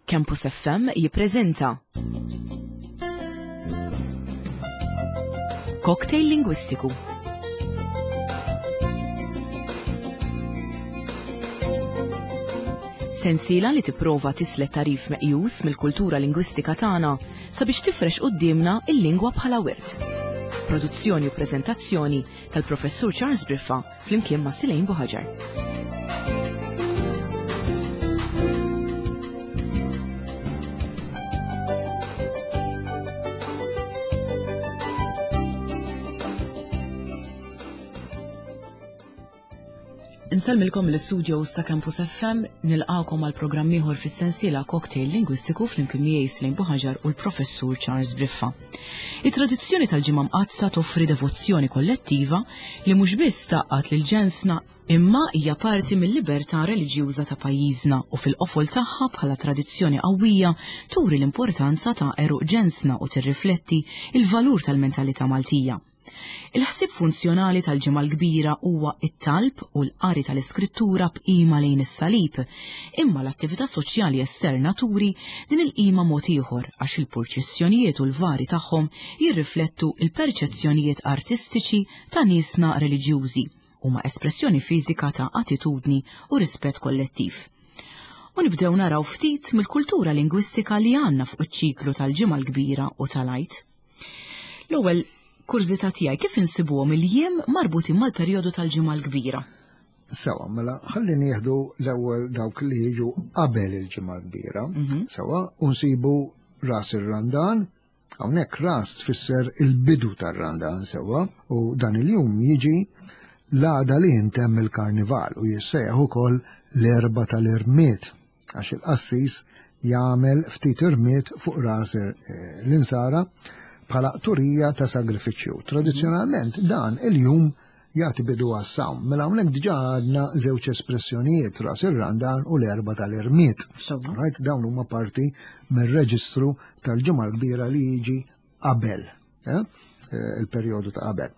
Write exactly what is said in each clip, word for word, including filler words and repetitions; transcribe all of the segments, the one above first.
Campus F M jippreżenta Cocktail Lingwistiku. Sensiela li tipprova tislet tarif meqjus mill-kultura lingwistika tagħna sabiex tifrex quddiemna il-lingwa bħala wirt. Produzzjoni u preżentazzjoni tal-Professur Charles Briffa flimkien ma' Silejn Buħaġar. Insellmilkom l-istudio sa Campus F M, nilqakom għal programm ieħor fis-sensiela Cocktail Lingwistiku flimkien miegħi Silejn Buħaġar u l-Professur Charles Briffa. It-tradizzjoni tal-Ġimgħa Mqaddsa toffri devozzjoni kollettiva li mhux biss tgħaqqad lil ġensna imma hija parti mill-libertà reliġjuża ta' pajjiżna u fil-qofol tagħha bħala tradizzjoni qawwija turi l-importanza ta' għeruq ġensna u tirrifletti il-valur tal-mentalità Maltija. Il-ħsieb funzjonali tal-Ġimgħa l-Kbira huwa it-talb u l-qari tal-Iskrittura b'qima lejn is-salib, imma l-attività soċjali esterna turi din il-qima mod ieħor għax il-purċissjonijiet u l-vari tagħhom jirriflettu il-perċezzjonijiet artistiċi ta' niesna reliġjużi huma espressjoni fiżika ta' attitudni u rispett kollettiv. U nibdew naraw ftit mill-kultura lingwistika li għandna fuq iċ-ċiklu tal-Ġimgħa l-Kbira u tal-Għid. L-ewwel kurżità tiegħi, kif insibuhom il-jiem marbutin mal-perjodu tal-Ġimgħa l-Kbira? Sewa, mela ħalli nieħdu l-ewwel dawk li jiġu qabel il-Ġimgħa l-Kbira. Mhm. Sewa, u nsibu ras ir-Randan. Hawnhekk ras tfisser il-bidu tar-Randan, sewa, u dan il-jum jiġi l-għada li jintemm il-karnival u jissejjaħ ukoll l-Erbgħa tal-Irmied, għax il-qassis jagħmel ftit irmied fuq ras, eh, l-insara bħala turija ta' sagrifiċċju. Tradizzjonalment dan il-jum jagħti bidu għas-sawm. Mela hawnhekk diġà għandna żewġ espressjonijiet, ras ir-Randan u l-Erbgħa tal-Irmied. Sewwa. Right? Dawn huma parti mir-reġistru tal-Ġimgħa l-Kbira li jiġi qabel, eh? Eh, il-perjodu ta' qabel.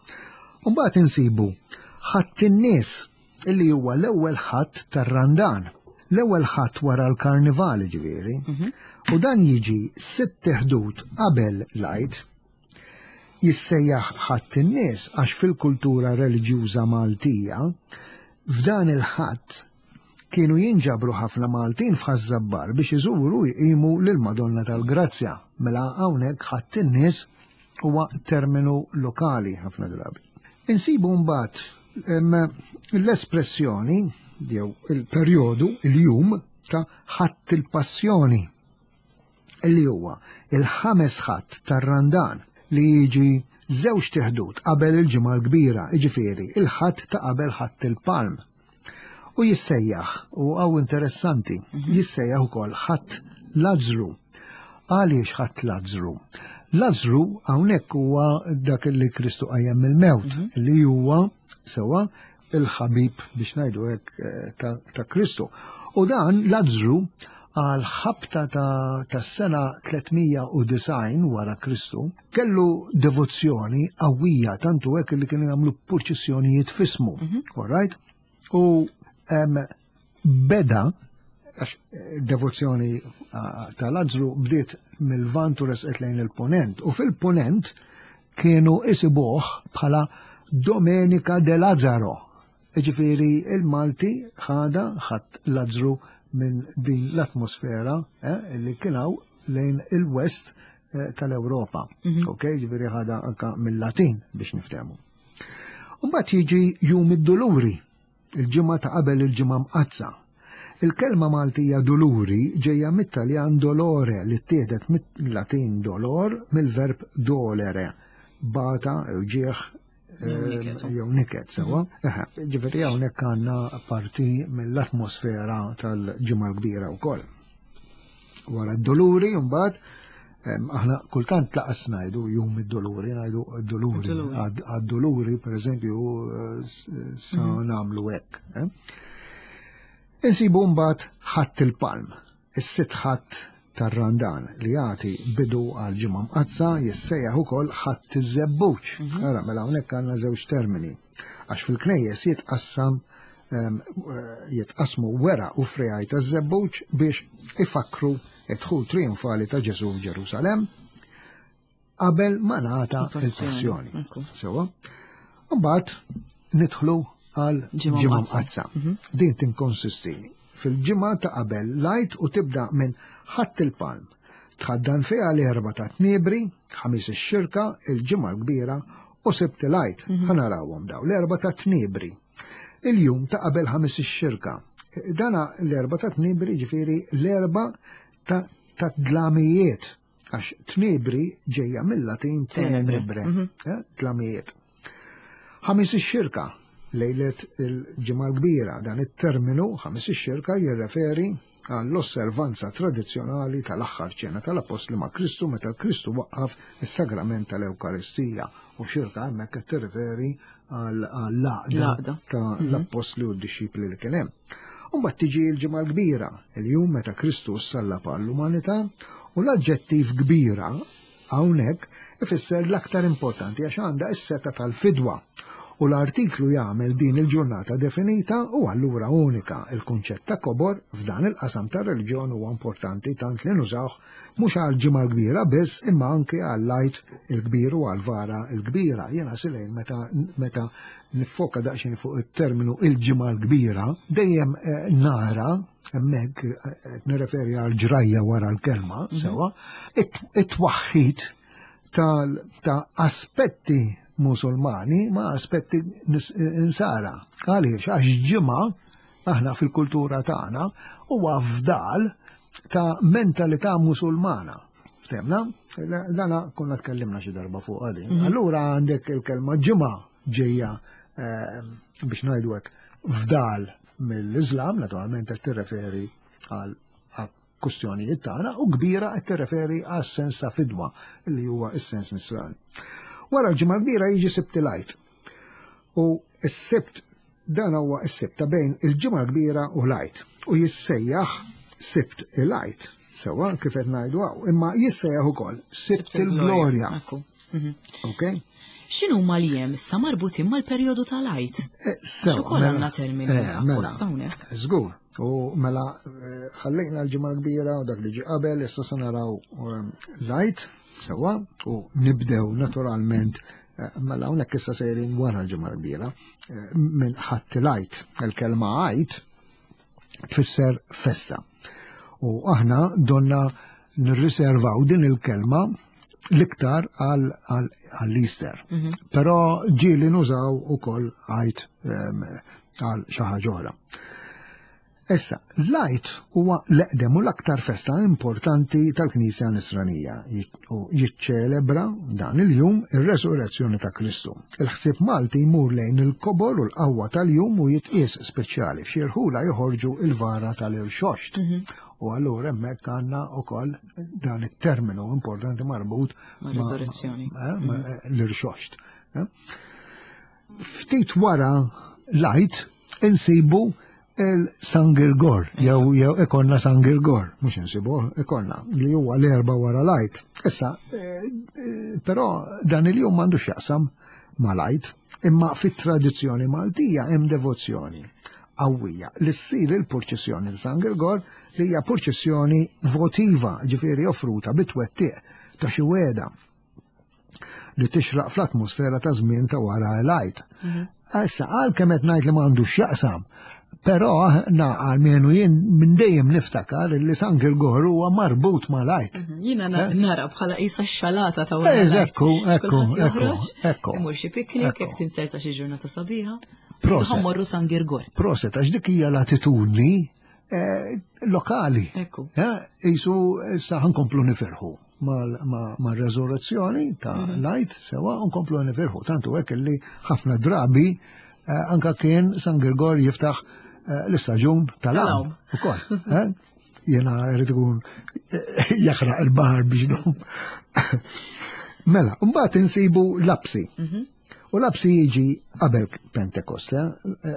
U mbagħad insibu Ħadd in-nies illi huwa l-ewwel ħadd tar-Randan, l-ewwel ħadd wara l-karnival ġifieri. Mhm. U dan jiġi sitt ħdud qabel l-Għid. Jissejjaħ Ħadd in-nies għax fil-kultura reliġjuża Maltija f'dan il-ħadd kienu jinġabru ħafna Maltin f'Ħaż-Żabbar biex iżuru jqimu lil Madonna tal-Grazzja. Mela hawnhekk Ħadd in-nies huwa terminu lokali ħafna drabi. Insibu mbagħad, em, l-espressjoni jew il-perjodu, il-jum ta' Ħadd il-Passjoni, li huwa il-ħames ħadd tar-Randan li jiġi żewġ tiħdud qabel il-Ġimgħa l-Kbira, jiġifieri il-ħadd ta' qabel Ħadd il-Palm. U jissejjaħ, u hawn interessanti, Mhm. jissejjaħ ukoll Ħadd Lazzru. Għaliex Ħadd Lazzru? Lazzru hawnhekk huwa dak li Kristu qajjem mill-mewt, Mhm. li huwa sewwa il-ħabib biex ngħidu hekk, eh, ta', ta' Kristu. U dan Lazzru għal ħabta ta', ta' sena tlietmija u disgħin wara Kristu kellu devozzjoni qawwija tantu hekk li kienu jagħmlu purċissjonijiet f'ismu. Mhm. All right? U, em, beda għax, eh, devozzjoni, ah, ta' Lazzru bdiet mill-Lvant u resqet lejn il-Punent, u fil-Punent kienu isibuh bħala Domenica de Lazzaro. Jiġifieri il-Malti ħada ħadd Lazzru minn din l-atmosfera, eh, li kien hawn lejn il-West, eh, tal-Ewropa. Mhm. Ok, jiġifieri ħada anka mill-Latin biex niftehmu. U mbagħad jiġi Jum id-Duluri, il-ġimgħa ta' qabel il-Ġimgħa Mqaddsa. Il-kelma Maltija duluri ġejja mit-Taljan dolore li ttieħdet mit-Latin dolor mill-verb dolere, bata, uġieħ, Jew niket. eh, jew niket, sewwa. Eħe, ġifieri hawnhekk għandna parti mill-atmosfera tal-Ġimgħa l-Kbira wkoll. Wara d-doluri mbagħad, em, aħna kultant laqas ngħidu jum id-doluri, ngħidu d-doluri. Id-doluri. Għad-, għad-doluri, per eżempju, eh, s-, sa Mhm. nagħmlu hekk, eh? Insibu mbagħad Ħadd il-Palm, is-sitt ħadd tar-Randan li jagħti bidu għal Ġimgħa Mqaddsa jissejjaħ ukoll Ħadd iż-Żebbuġ. Mhm. Ara, mela hawnhekk għandna żewġ termini għax fil-knejjes jitqassam, em, eh, jitqasmu wera u frejaj taż-żebbuġ biex ifakru Id-dħul trionfali ta' Ġesu f'Ġerusalem qabel ma ngħata Il-passjoni. il-passjoni. Ekku. Sewa. Mbagħad nidħlu għal Ġimgħa ġimgħa Mqaddsa. mqaddsa. Din tinkonsisti fil-ġimgħa ta' qabel l-Għid u tibda minn Ħadd il-Palm. Tħaddan fiha l-Erbgħa ta' Tniebri, Ħamis ix-Xirka, il-Ġimgħa l-Kbira u Sibt il-Għid. Ħa narawhom daw l-Erbgħa ta' Tniebri. Il-jum ta' qabel Ħamis ix-Xirka. Dana l-Erbgħa ta' Tniebri ġifieri l-Erbgħa ta' ta' dlamijiet, għax Tniebri ġejja mill-Latin tenebre, eh, dlamijiet. Ħamis ix-Xirka, lejlet il-Ġimgħa l-Kbira, dan it-terminu Ħamis ix-Xirka jirreferi għall-osservanza tradizzjonali tal-aħħar ċena tal-Apostli ma' Kristu meta Kristu waqqaf is-sagrament tal-Ewkaristija, u xirka hemmhekk qed tirreferi għall-għaqda L-għaqda. ta' l-Apostli u d-dixxipli li kien hemm. U mbagħad tiġi l-Ġimgħa l-Kbira, il-jum meta Kristu sallab għall-umanità, u l-aġġettiv kbira hawnhekk ifisser l-aktar importanti għax għandha s-seta tal-fidwa. U l-artiklu jagħmel din il-ġurnata definita u allura unika. Il-kunċett ta' kobor f'dan il-qasam ta' reliġjon huwa importanti tant li nużawh mhux għal Ġimgħa l-Kbira biss imma anke għall-Għid il-Kbir u għall-Vara l-Kbira. Jiena silejn meta, meta nifoka daqsxejn fuq it-terminu il-Ġimgħa l-Kbira, dejjem, eh, nara hemmhekk, eh, nirreferi għal ġrajja wara l-kelma, sewa, it- it-twaħħid tal- ta' aspetti musulmani ma' aspetti nis- insara. Għaliex? Għax ġimgħa aħna fil-kultura tagħna huwa fdal ta' mentalità musulmana. Ftemna? Dana konna tkellimna xi darba fuq għadin. Allura għandek il-kelma ġimgħa ġejja, eh, biex ngħidu hekk fdal mill-Islam, naturalment qed tirreferi għal għal kustjonijiet tagħna, u kbira qed tirreferi għas sens ta' fidwa li huwa s-sens nisrani. Wara l-Ġimgħa l-Kbira jiġi Sibt il-Għid. U s-Sibt dan huwa s-Sibt ta' bejn il-Ġimgħa l-Kbira u l-Għid. U jissejjaħ Sibt il-Għid. Sewa kif qed ngħidu hawn, imma jissejjaħ ukoll Sibt il-Glorja. Ekku. Mhm. Ok? X'inhu ma l-jiem issa marbutin mal-perjodu tal-Għid? Eh, Sewa, ukoll mela, għandna termini eh, mela, apposta hawnhekk. Żgur. U mela, eh, ħallejna l-Ġimgħa l-Kbira u dak li ġi qabel, issa se naraw ehm, l-Għid, sewa, u nibdew naturalment, eh, mela hawnhekk issa sejrin wara l-Ġimgħa l-Kbira, eh, minn Ħadd il-Għid. Il-kelma Għid tfisser festa. U aħna donna nirriservaw din il-kelma l-iktar għall-Easter. Però ġieli nużaw ukoll Għid ehm, għal xi ħaġa oħra. Issa, l-Għid huwa l-eqdem u l-aktar festa importanti tal-Knisja Nisranija u jiċċelebra dan il-jum ir-resurrezzjoni ta' Kristu. Il-ħsieb Malti jmur lejn il-kobor u l-qawwa tal-jum u jitqies speċjali. F'xi rħula joħorġu il-vara tal-irxoxt. U allura hemmhekk għandna wkoll dan it-terminu importanti marbut Ma' resurrezzjoni. ma- eh, ma- eh, l-irxoxt. eh. Ftit wara l-Għid insibu il-San Girgor, jew jew ikonna San Girgor, mhux insibu, ikonna li huwa l-Erbgħa wara l-Għid. Issa, eh, eh, però dan il-jum m'għandux jaqsam mal-Għid, imma fit-tradizzjoni Maltija hemm devozzjoni qawwija li ssir il-purċissjoni ta' San Girgor, li hija purċissjoni votiva, ġifieri offruta bit-twettiq ta' xi wegħda li tixraq fl-atmosfera ta' żmien ta' wara l-Għid. Issa, għalkemm qed ngħid li m'għandux x'jaqsam, però aħna għalmenu jien minn dejjem niftakar li San Girgor huwa marbut mal-Għid. Jiena na- nara bħala isa xalata ta' wara. Eh, l-Għid. Ekku, ekku, Kulħadd ekku, joħroġ, ekku. Imur xi piknik, Ekku. jekk tinserta xi ġurnata sabiħa. Proset. Ħa mmorru San Girgor. Proset, għax dik hija l-attitudni eh, lokali. Ekku. Eh, Isu issa ħa nkomplu nifirħu mal-resurrezzjoni ta' l-Għid, sewa, nkomplu nifirħu. Tantu hekk li ħafna drabi eh, anka kien San Girgor jiftaħ eh, l-istaġun tal-għawm. Ukoll, eh? Jena rrid ikun eh, jaħraq il-baħar biex num. Mela, mbagħad insibu Lapsi. U Lapsi jiġi qabel Pentekoste.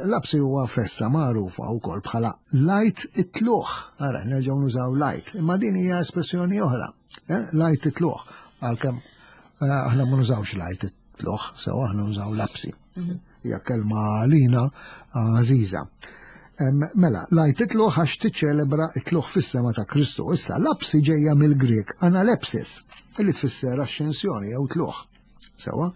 Lapsi huwa festa magħrufa wkoll bħala l-Għid it-Tlugħ. Ara, nerġgħu nużaw l-Għid. Imma din hija espressjoni oħra. Eh? L-Għid it-Tlugħ. Għalkemm eh, aħna ma nużawx l-Għid it-Tlugħ, sew aħna nużaw Lapsi. Hija kelma għalina għażiża. Mela, l-Għid it-Tlugħ għax tiċċelebra it-tlugħ fis-sema ta' Kristu. Issa, lapsi ġejja mill-Grek analepsis, li tfisser ascensjoni jew tlugħ. Sewa,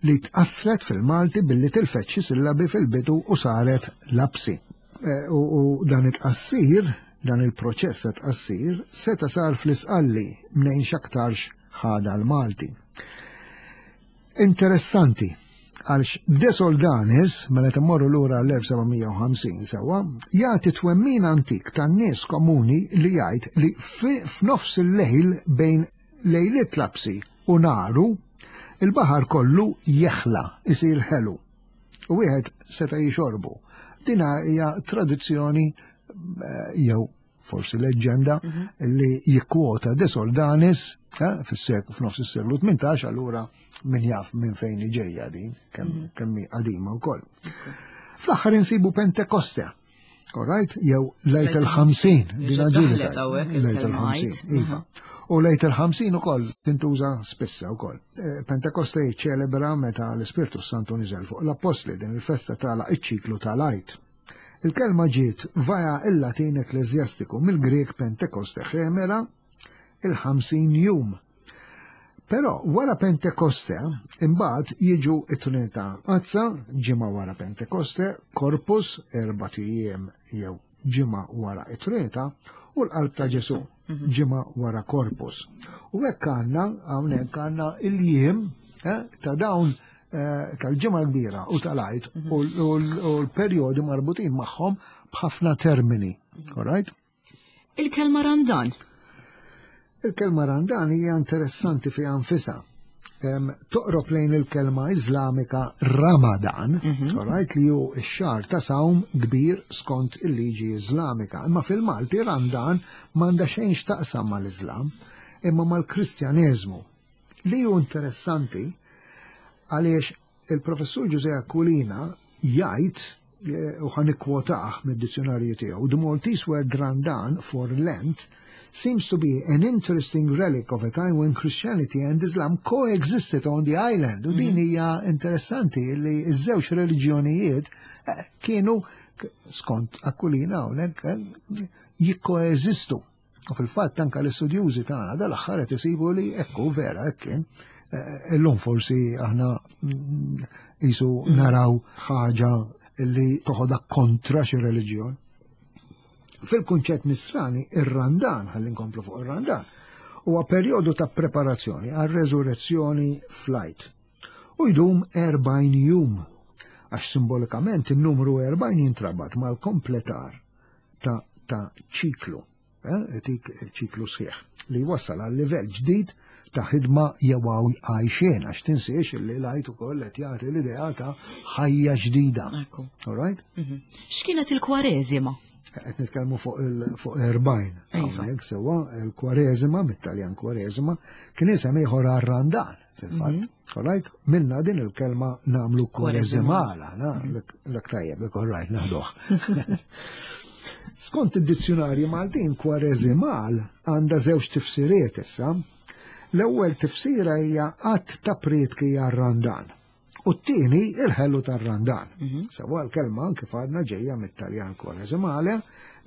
li tqassret fil-Malti billi tilfet xi sillabi fil-bidu u saret lapsi. E, u dan it-tqassir, dan il-proċess ta' tqassir, seta sar fl-Isqalli mnejn x'aktarx ħada l-Malti. Interessanti, għalx De Soldanis, mela temmorru lura l-elf seba' mija u ħamsin sewa, jagħti twemmin antik tan-nies komuni li jgħid li f'nofs il-lejl bejn lejliet lapsi u naru, il-baħar kollu jeħla, isir ħelu. U wieħed seta' jixorbu. Dina hija tradizzjoni eh, jew forsi leġġenda mhm. li jikkwota De Soldanis eh, fis-seklu, f'nofs is-seklu tmintax, allura min jaf minn fejn ġejja din, kemm mhm. kemm qadima wkoll. Fl-aħħar insibu Pentekoste. Alright, jew Lejt il-ħamsin, din Lejt il-ħamsin, iva. U Lejt il-ħamsin ukoll tintuża spissa wkoll. Eh, Pentekoste jiċċelebra meta l-Ispirtu Santu niżel fuq l-Appostli, din il-festa tagħlaq iċ-ċiklu tal-Għid. Il-kelma ġiet vaja il-Latin ekklesjastiku mill-Grek Pentekoste ħemera, il-ħamsin jum. Però wara Pentekoste, imbagħad jiġu it-Trinità Mqaddsa, ġimgħa wara Pentekoste, Corpus, erbat ijiem jew ġimgħa wara it-Trinità, u l-Qalb ta' Ġesu, mhm. ġimgħa wara Corpus. U hekk għandna hawnhekk għandna il-jiem eh, ta' dawn eh, tal-Ġimgħa l-Kbira u tal-Għid mhm. u l-perjodi marbutin magħhom b'ħafna termini. All right? Il-kelma Randan. Il-kelma Randan hija interessanti fi nfisha. Toqrob lejn il-kelma Iżlamika Ramadan, mm right, li hu x-xahar ta' sawm kbir skont il-liġi Iżlamika. Imma fil-Malti Randan m'għandha xejn x'taqsam mal-Iżlam, imma mal-Kristjaneżmu. Li hu interessanti għaliex il-professur Ġużè Aquilina jgħid eh, u ħa nikkwotah mid-dizzjonarju tiegħu, "The Maltese word Randan for Lent seems to be an interesting relic of a time when Christianity and Islam coexisted on the island." U din mhm. hija interessanti li ż-żewġ reliġjonijiet eh, kienu, skont Aquilina hawnhekk, eh, jikkoeżistu. U fil-fatt anka l-istudjużi tagħna dal-aħħar qed isibu li ekku vera hekk kien. Eh, illum forsi aħna mm, jisu naraw ħaġa li toħodha kontra xi reliġjon. Fil-kunċett nisrani, ir-Randan, ħalli nkomplu fuq ir-Randan, huwa perjodu ta' preparazzjoni għal resurrezzjoni fl-Għid. U jdum erbgħin jum, għax simbolikament il-numru erbgħin jintrabat mal-kompletar ta', ta ċiklu, eh, tik ċiklu sħiħ, li wassal għal livell ġdid ta' ħidma jew għajxien, għax tinsiex li l-Għid ukoll qed jagħti l-idea ta' ħajja ġdida. All right? Mhm. X'kienet il-Kwareżima? Qed nitkellmu fuq fuq erbgħin. Iva. Hawnhekk sewwa, il-Kwareżima, mit-Taljan Kwareżima, kien isem ieħor għar-Randan fil-fatt. Mhm. All right? Minna din il-kelma nagħmlu kwareżimala, na, l tajjeb, all right, naħduh. Skont id-dizzjonarji Maltin, kwareżimal għandha żewġ tifsiriet issa. L-ewwel tifsira hija għadd ta' prietki għar-Randan. U t-tieni il-ħelu tar-Randan. Mhm. Sewa, l-kelma kif għadna ġejja mit-Taljan kwareżimale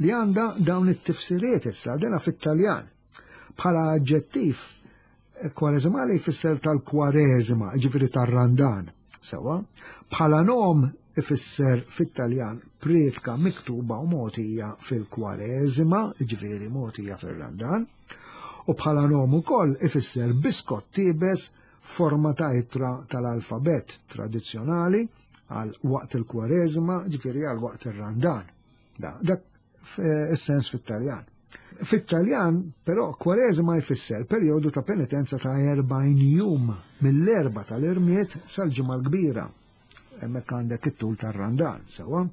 li għandha dawn it-tifsiriet issa dena fit-Taljan. Bħala aġġettiv, kwareżimale jfisser tal-Kwareżima, ġifieri tar-Randan. Sewa, bħala nom ifisser fit-Taljan prietka miktuba u mogħtija fil-Kwareżima, ġifieri mogħtija fil-Randan. U bħala nom ukoll ifisser biskott iebes forma ta' ittra tal-alfabet tradizzjonali għal waqt il-Kwareżima, ġifieri għal waqt ir-Randan. Da, dak is-sens fit-Taljan. Fit-Taljan, però, Kwareżima jfisser perjodu ta' penitenza ta' erbgħin jum mill-Erbgħa tal-Irmied sal-Ġimgħa l-Kbira. Hemmhekk għandek it-tul tar-Randan, sewa.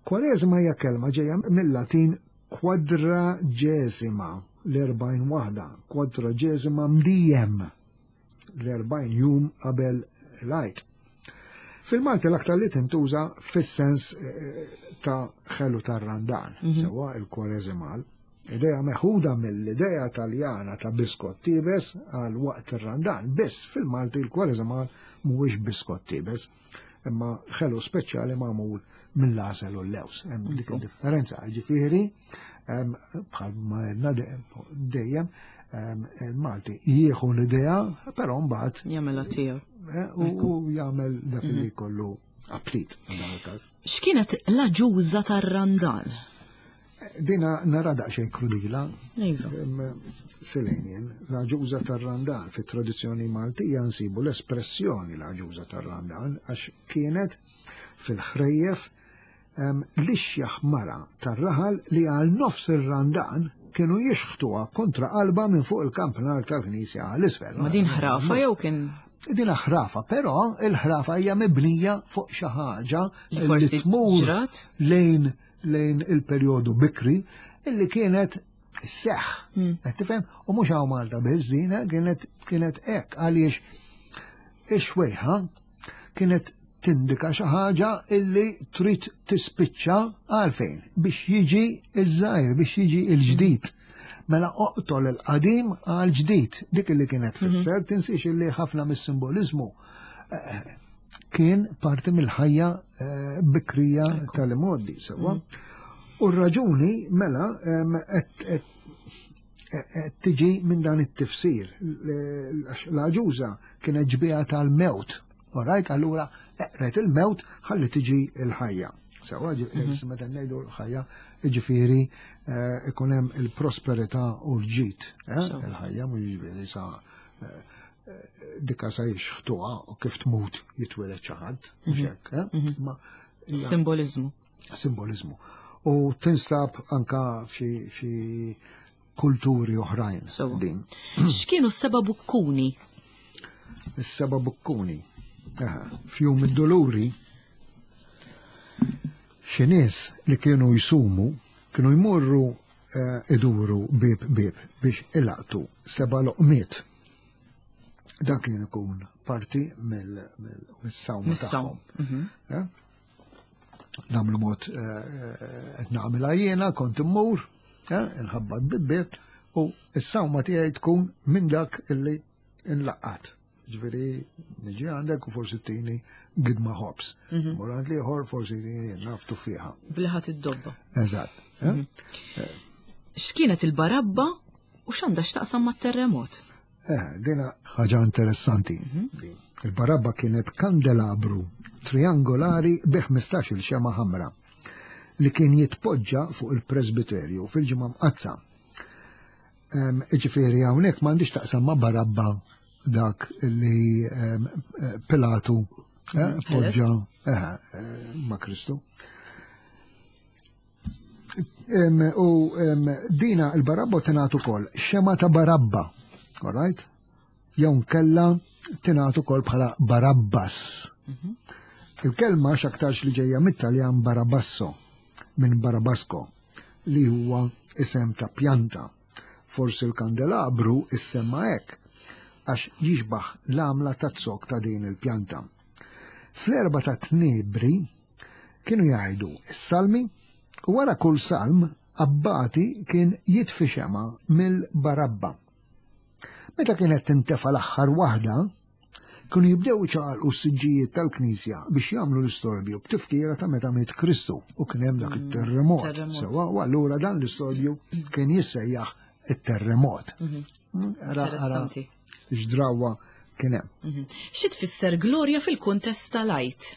Kwareżima hija kelma ġejja mill-Latin quadragesima, l-erbgħin waħda, quadragesima diem, l-erbgħin jum qabel l-Għid. Fil-Malti l-aktar li tintuża fis-sens eh, ta' ħelu tar-Randan, mm -hmm. sewa, il-kwareżimal. Idea meħuda mill-idea Taljana ta' biskott iebes għal waqt ir-Randan. Biss fil-Malti il-kwareżimal mhuwiex biskott iebes, imma ħelu speċjali magħmul mill-għasel u l-lews. Hemm dik id-differenza, ġifieri bħal ma għedna dejjem il-Malti jieħu l-idea, però mbagħad jagħmilha tiegħu. Eh, u jagħmel dak li kollu aptit f'dan il-każ. X'kienet l-aġuża tar-Randan? Dina nara daqsxejn krudila. Iva. Selenjen, l-aġuża tar-Randan fit-tradizzjoni Maltija nsibu l-espressjoni l-aġuża tar-Randan għax kienet fil-ħrejjef l-ixjaħ mara tar-raħal li għal nofs ir-Randan kienu jixħtuha kontra qalba minn fuq il-kampnar tal-knisja għal isfel. Ma din ħrafa jew kien Din ħrafa, però il-ħrafa hija mibnija fuq xi ħaġa li forsi tmur ġrat? lejn lejn il-perjodu bikri illi kienet seħ. Hmm. Qed tifhem? U mhux hawn Malta biss din eh, kienet kienet hekk għaliex ix-xwejħa kienet tindika xi ħaġa illi trid tispiċċa għalfejn biex jiġi iż-żgħir, biex jiġi l-ġdid. Mela oqtol il-qadim għal ġdid, dik illi kienet tfisser, tinsiex illi ħafna mis-simbolizmu eh, kien parti mill-ħajja eh, bikrija tal-imgħoddi, sewwa. U r-raġuni mela em, qed- qed qed tiġi minn dan it-tifsir. L- L-aġuża kienet ġbija tal-mewt. Alright, allura eqret il-mewt ħalli tiġi il-ħajja. Sewwa, meta ngħidu l-ħajja, ġifieri eh, ikun hemm il-prosperità u l-ġid. eh, Sewa. Il-ħajja mhux ġifieri sa eh, eh, dika sa jixħtuha u kif tmut jitwieled xi ħadd, mhux hekk, eh? Ma hija Simbolizmu. simbolizmu. U tinstab anka fi fi kulturi oħrajn Sewa. din. X'kienu s-seba' bukkuni? Is-seba' bukkuni. Aha, Fjum id-doluri xi nies li kienu jsumu kienu jmorru eh, iduru bib bib biex ilaqtu seba' loqmiet. Dan kien ikun parti mill-sawma Mis-sawm. tagħhom. Eh? Namlu mod eh, eh, qed nagħmilha jiena kont immur, eh, inħabbat bib u s-sawma tiegħi tkun minn dak illi inlaqqat. Ġifieri niġi għandek u forsi tini gidma ħobs. Mur għand l-ieħor forsi tini naf tuffiħa. Bliħat id-dobba. Eżatt. eh? X'kienet il-barabba u x'għandha x'taqsam mat-terremot? Eh, dina ħaġa interessanti. Din. Il-barabba kienet kandelabru triangolari bi ħmistax-il xema ħamra li kien jitpoġġa fuq il-presbiterju fil-ġimgħa mqazza. Em, Ġifieri hawnhekk m'għandix taqsam ma' barabba dak li em, eh, Pilatu eh, poġġa eh, eh, ma' Kristu. Em, U em, dina il-barabba tingħad ukoll xema ta' barabba, all right? Jew nkella tingħad ukoll bħala barabbas. Il-kelma x'aktarx li ġejja mit-Taljan barabasso minn barabasko li huwa isem ta' pjanta. Forsi l-kandelabru issemma hekk għax jixbaħ l-għamla ta' zokk ta' din il-pjanta. Fl-erba ta' tnebri kienu jgħidu is-salmi u wara kull salm abbati kien jitfi xema mill-barabba. Meta kienet tintefa l-aħħar waħda, kienu jibdew iċaqalqu s-siġġijiet tal-Knisja biex jagħmlu l-istorbju b'tifkira ta' meta miet Kristu u kien hemm dak it-terremot. terremot. Sewwa, u allura dan l-istorbju kien jissejjaħ it-terremot. Mm, ara- ara Interessanti. X'drawa kien hemm. Mhm. Xi tfisser glorja fil-kuntest tal-Għid?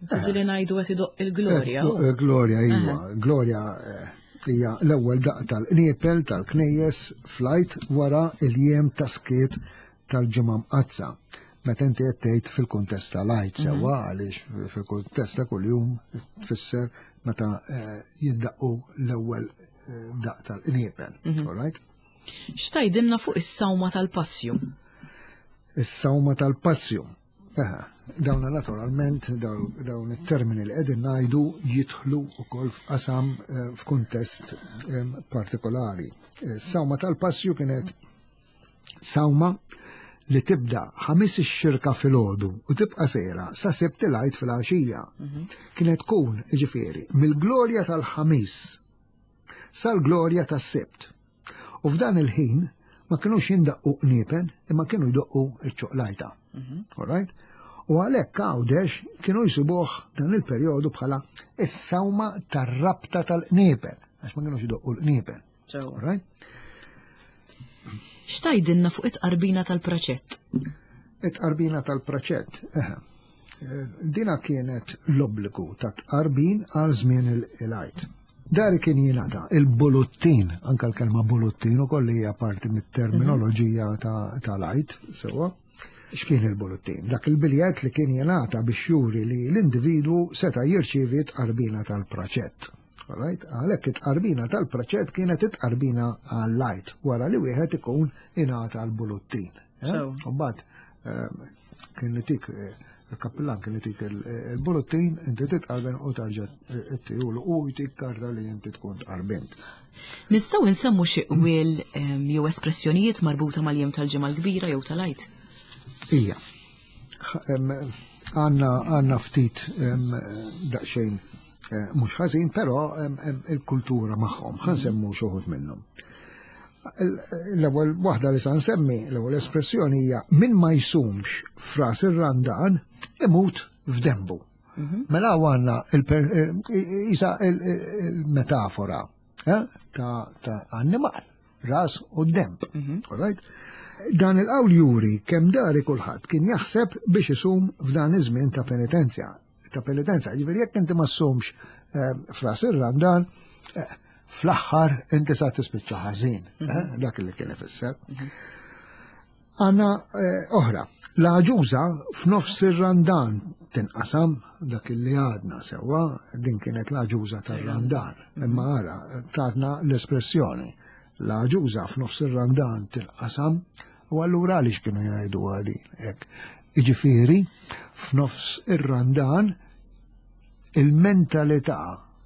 Tiġi li ngħidu qed idoqq il-glorja. Eh, Glorja, iva. Glorja eh, hija l-ewwel daq tal-qniepel tal-knejjes fl-Għid wara il-jiem ta' skiet tal-ġimgħa mqazza. Meta inti qed tgħid fil-kuntest tal-Għid sewwa għaliex fil-kuntest ta' kuljum tfisser meta eh, jindaqqu l-ewwel eh, daq tal-qniepel. All right? X'tgħidilna fuq is-sawma tal-passju? Is-sawma tal-passju. Aha, Dawna naturalment, daw- dawn it-termini li qegħdin ngħidu jidħlu wkoll f'qasam eh, f'kuntest em, partikolari. Is-sawma tal-passju kienet sawma li tibda ħamis ix-xirka filgħodu u tibqa' sejra sa sibt il-Għid fil-għaxija. Kienet tkun, ġifieri, mill-glorja tal-ħamis sal-glorja tas-sibt. U f'dan il-ħin ma kinux jindaqqu qniepen imma kienu jdoqqu iċ-ċoqlajta. All right? U għalhekk Għawdex kienu jsibuh dan il-perjodu bħala is-sawma tar-rabta tal-qniepel, għax ma kienux idoqqu l-qniepel. Right? X'tgħidilna fuq it-qarbina tal-praċett? It-qarbina tal-praċett, eħe. Dina kienet l-obbligu ta' tqarbin għal żmien il-Għid. Dari kien jingħata il-buluttin, anka l-kelma buluttin ukoll hija parti mit-terminoloġija tal-Għid, sewwa. X'kien il-buluttin? Dak il-biljett li kien jingħata biex juri li l-individwu seta' jirċievi tqarbina tal-praċett. Alright? Għalhekk it-tqarbina tal-praċett kienet it-tqarbina għall-Għid wara li wieħed ikun ingħata l-buluttin. U mbagħad kien itik il-kappillan kien itik il-buluttin, inti titqarben u tarġa' ttihulu u jtik karta li inti tkun tqarbint. Nistgħu nsemmu xi qwiel jew espressjonijiet marbuta mal-jiem tal-Ġimgħa l-Kbira jew tal-Għid? Ija. Għandna għandna ftit daqsxejn mhux ħażin, però il-kultura magħhom, ħa nsemmu xi wħud minnhom. L-ewwel waħda li sa nsemmi, l-ewwel espressjoni hija min ma jsumx f'ras ir-Randan imut f'dembu. Mela għandna isa il-metafora ta' annimal, ras u demb. All right? Dan il-qawl juri kemm dari kulħadd kien jaħseb biex isum f'dan iż-żmien ta' penitenzja. Ta' penitenza, ġifieri jekk inti ma ssumx f'ras ir-Randan, fl-aħħar inti sa tispiċċa ħażin, dak li kien ifisser. Għandna oħra, l-għaġuża f'nofs ir-Randan tinqasam, dak li għadna sewwa, din kienet l-għaġuża tar-Randan, imma ara tatna l-espressjoni. L-għaġuża f'nofs ir-Randan tinqasam, u allura għaliex kienu jgħidu għadin hekk. Jiġifieri, f'nofs ir-Randan il-mentalità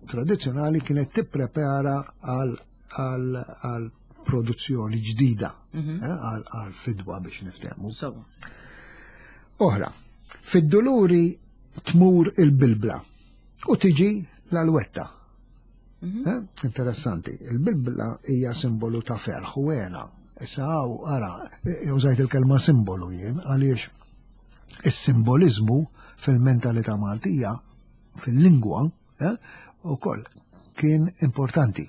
tradizzjonali kienet tipprepara għal produzzjoni ġdida, għal fidwa biex niftehmu. Oħra, fid-duluri tmur il-bilbla u tiġi l-alwetta. Interessanti, il-bilbla hija simbolu ta' ferħ u hena. Issa hawn ara, użajt il-kelma simbolu jien, għaliex is-simbolizmu fil-mentalità Maltija, fil-lingwa, ukoll kien importanti.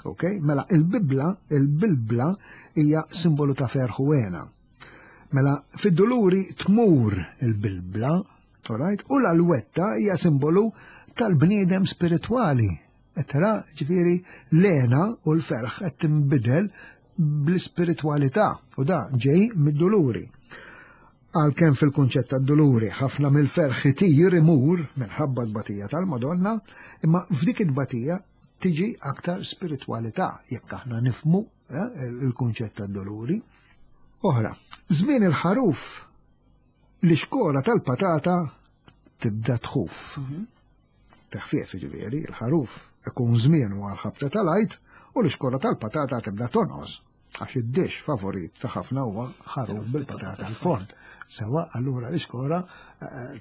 Ok? Mela il-Bibla, il-Bilbla hija simbolu ta' ferħ u hena. Mela fid-duluri tmur il-Bilbla, alright? U l-alwetta hija simbolu tal-bniedem spiritwali. Tara, ġifieri, l-hena u l-ferħ qed tinbidel bl-ispiritwalità u da ġej mid-duluri. Għalkemm fil-kunċett tad-duluri ħafna mill-ferħ itir imur minħabba t-batija tal-Madonna, imma f'dik it-batija tiġi aktar spiritwalità jekk aħna nifmu il-kunċett tad-duluri. Oħra, żmien il-ħaruf l-ixkora tal-patata tibda tħuf. Teħfief ġifieri, il-ħaruf ikun żmien għal ħabta tal-Għid u l-ixkora tal-patata tibda tonqos. Għax id-dish favorit ta' ħafna huwa ħaruf bil-patata l-forn. Sewa allura l-ixkora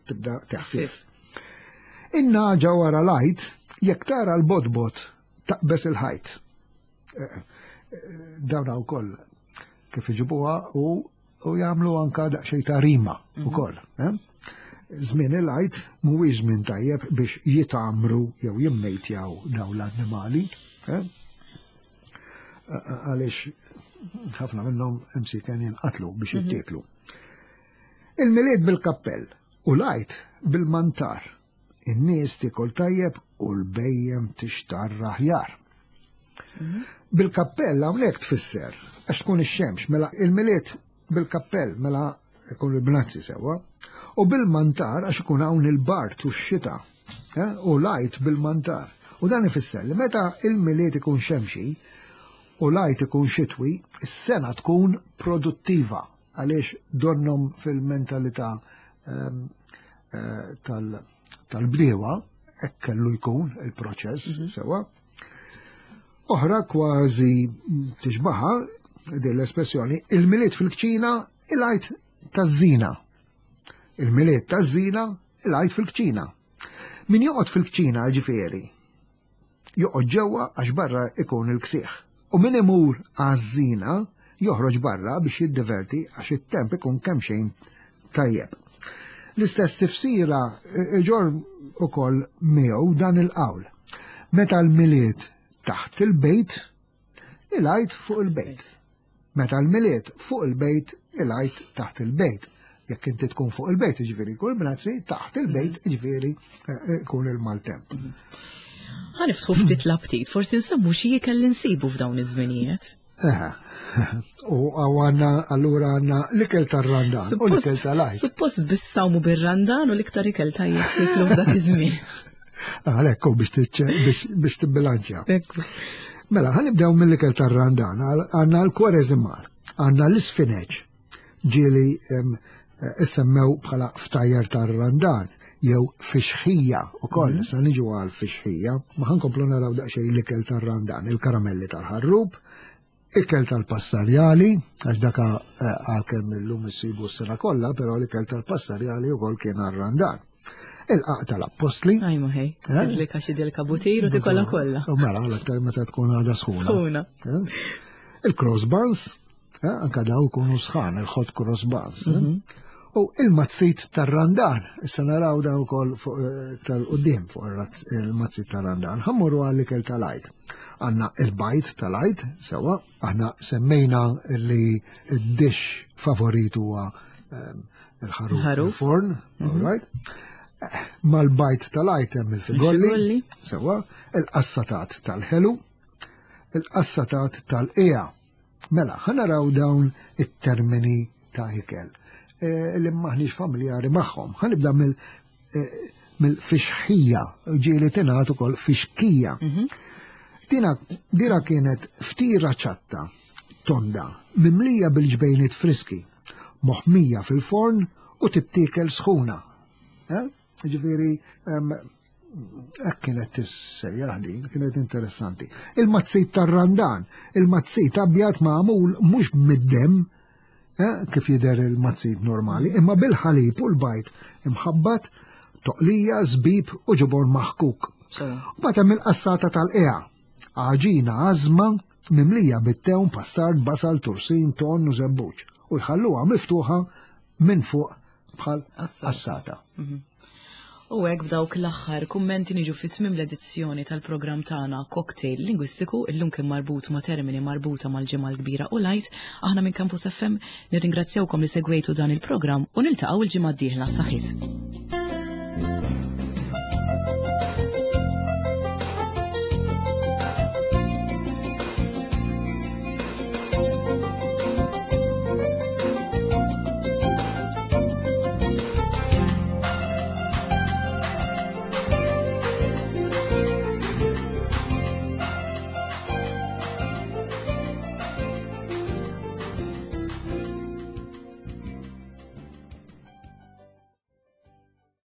tibda teħfief. In-naġa wara l-Għid jekk tara l-bodbot taqbes il-ħajt. Dawna wkoll kif iġibuha u jagħmlu anka daqsxejn ta' rima ukoll. Żmien il-Għid mhuwiex żmien tajjeb biex jitamru jew jimmejtjaw dawn l-annimali. Għaliex ħafna minnhom imsiken jinqatlu biex jittieklu. Il-Milied bil-kappell u l-Għid bil-mantar. In-nies tiekol tajjeb u l-bejjem tixtarr aħjar. Bil-kappell hawnhekk tfisser għax tkun ix-xemx, mela il-Milied bil-kappell mela ikun il-bnazzi sewwa, u bil-mantar għax ikun hawn il-bart u x-xita, u l-Għid bil-mantar. U dan ifisser li meta il-Milied ikun xemxi u l-Għid ikun xitwi, is-sena tkun produttiva għaliex donnom fil-mentalità tal-bdiewa hekk kellu jkun il-proċess sewwa. Oħra kważi tixbaħa din l-espressjoni, il-Milied fil-kċina, il-Għid taż-żina. Il-Milied taż-żina, il-Għid fil-kċina. Min joqgħod fil-kċina ġifieri, joqgħod ġewwa għax barra ikun il-ksieħ. U min imur għaż-żina joħroġ barra biex jiddiverti għax it-temp ikun kemm xejn tajjeb. L-istess tifsira iġorr ukoll miegħu dan il-qawl. Meta l-Milied taħt il-bejt, il-Għid fuq il-bejt. Meta l-Milied fuq il-bejt, il-Għid taħt il-bejt. Jekk inti tkun fuq il-bejt, ġifieri jkun bnazzi, taħt il-bejt, ġifieri jkun il-maltemp. Ħa niftħu ftit l-aptit, forsi nsemmu xi ikel li nsibu f'dawn iż-żminijiet. Eħe, u għandna allura għandna l-ikel tar-Randan u l-ikel tal-Għid. Suppost bissawmu bir-Randan u l-iktar ikel tajjeb tiklu f'dak iż-żmien. Għalhekk biex biex tibbilanċja. Mela, ħa nibdew mill-ikel tar-Randan, għandna l-kwareżimal, għandna l-isfineċ, ġieli issemmew bħala ftajjar tar-Randan, jew fixħija u koll, sa niġu għal fixħija, ma ħa nkomplu naraw daqsxejn l-ikel tar-Randan, il-karamelli tal-ħarrub, ikel tal-pastarjali, għax daka għalkemm illum issibu s-sena kollha, però l-ikel tal-pastarjali wkoll kien għar-Randan. Il-qagħaq tal-appostli. Aj ħej, tidlika xi dilka butir u tikolla kollha. U mela, l-aktar meta tkun għadha sħuna. Sħuna. Il-cross buns, anka daw kunu sħan, il-hot cross buns. U il-mazzit tar-Randan, issa naraw daw ukoll tal-qudiem fuq il-mazzit tar-Randan. Ħa mmorru għall-ikel tal-Għid. Għandna il-bajd tal-Għid, sewa, aħna semmejna li id-dish favorit huwa il-ħaruf il-forn, all right? Mal-bajd tal-Għid hemm il-figolli, sewa, il-qassatat tal-ħelu, il-qassatat tal-qija. Mela, ħa naraw dawn it-termini ta' ikel li maħniex familjari magħhom. Ħa nibda mill-fixħija, ġieli tingħad ukoll fixkija. Dina, dina kienet ftira ċatta, tonda, mimlija bil-ġbejniet friski, moħmija fil-forn u tittikel sħuna. Ġifieri, hekk kienet tissejjaħ din, kienet interessanti. Il-mazzit tar-Randan, il-mazzit abjad magħmul mhux mid-dem, kif jidher il-mazzit normali, imma bil-ħalib u l-bajd imħabbat, toqlija, żbib u ġobon maħkuk. U bagħad hemm il-qassata tal-qija, għaġina għażma mimlija bit-tewm, pastard, basal, tursin, ton u żebbuġ. U jħalluha miftuħa minn fuq bħal qassata. U hekk b'dawk l-aħħar kummenti niġu fi tmiem l-edizzjoni tal-programm tagħna Cocktail Lingwistiku, illum kien marbut ma' termini marbuta mal-Ġimgħa l-Kbira u l-Għid. Aħna minn Campus F M nirringrazzjawkom li segwejtu dan il-programm u niltaqgħu il-ġimgħa d-dieħla. Saħħit.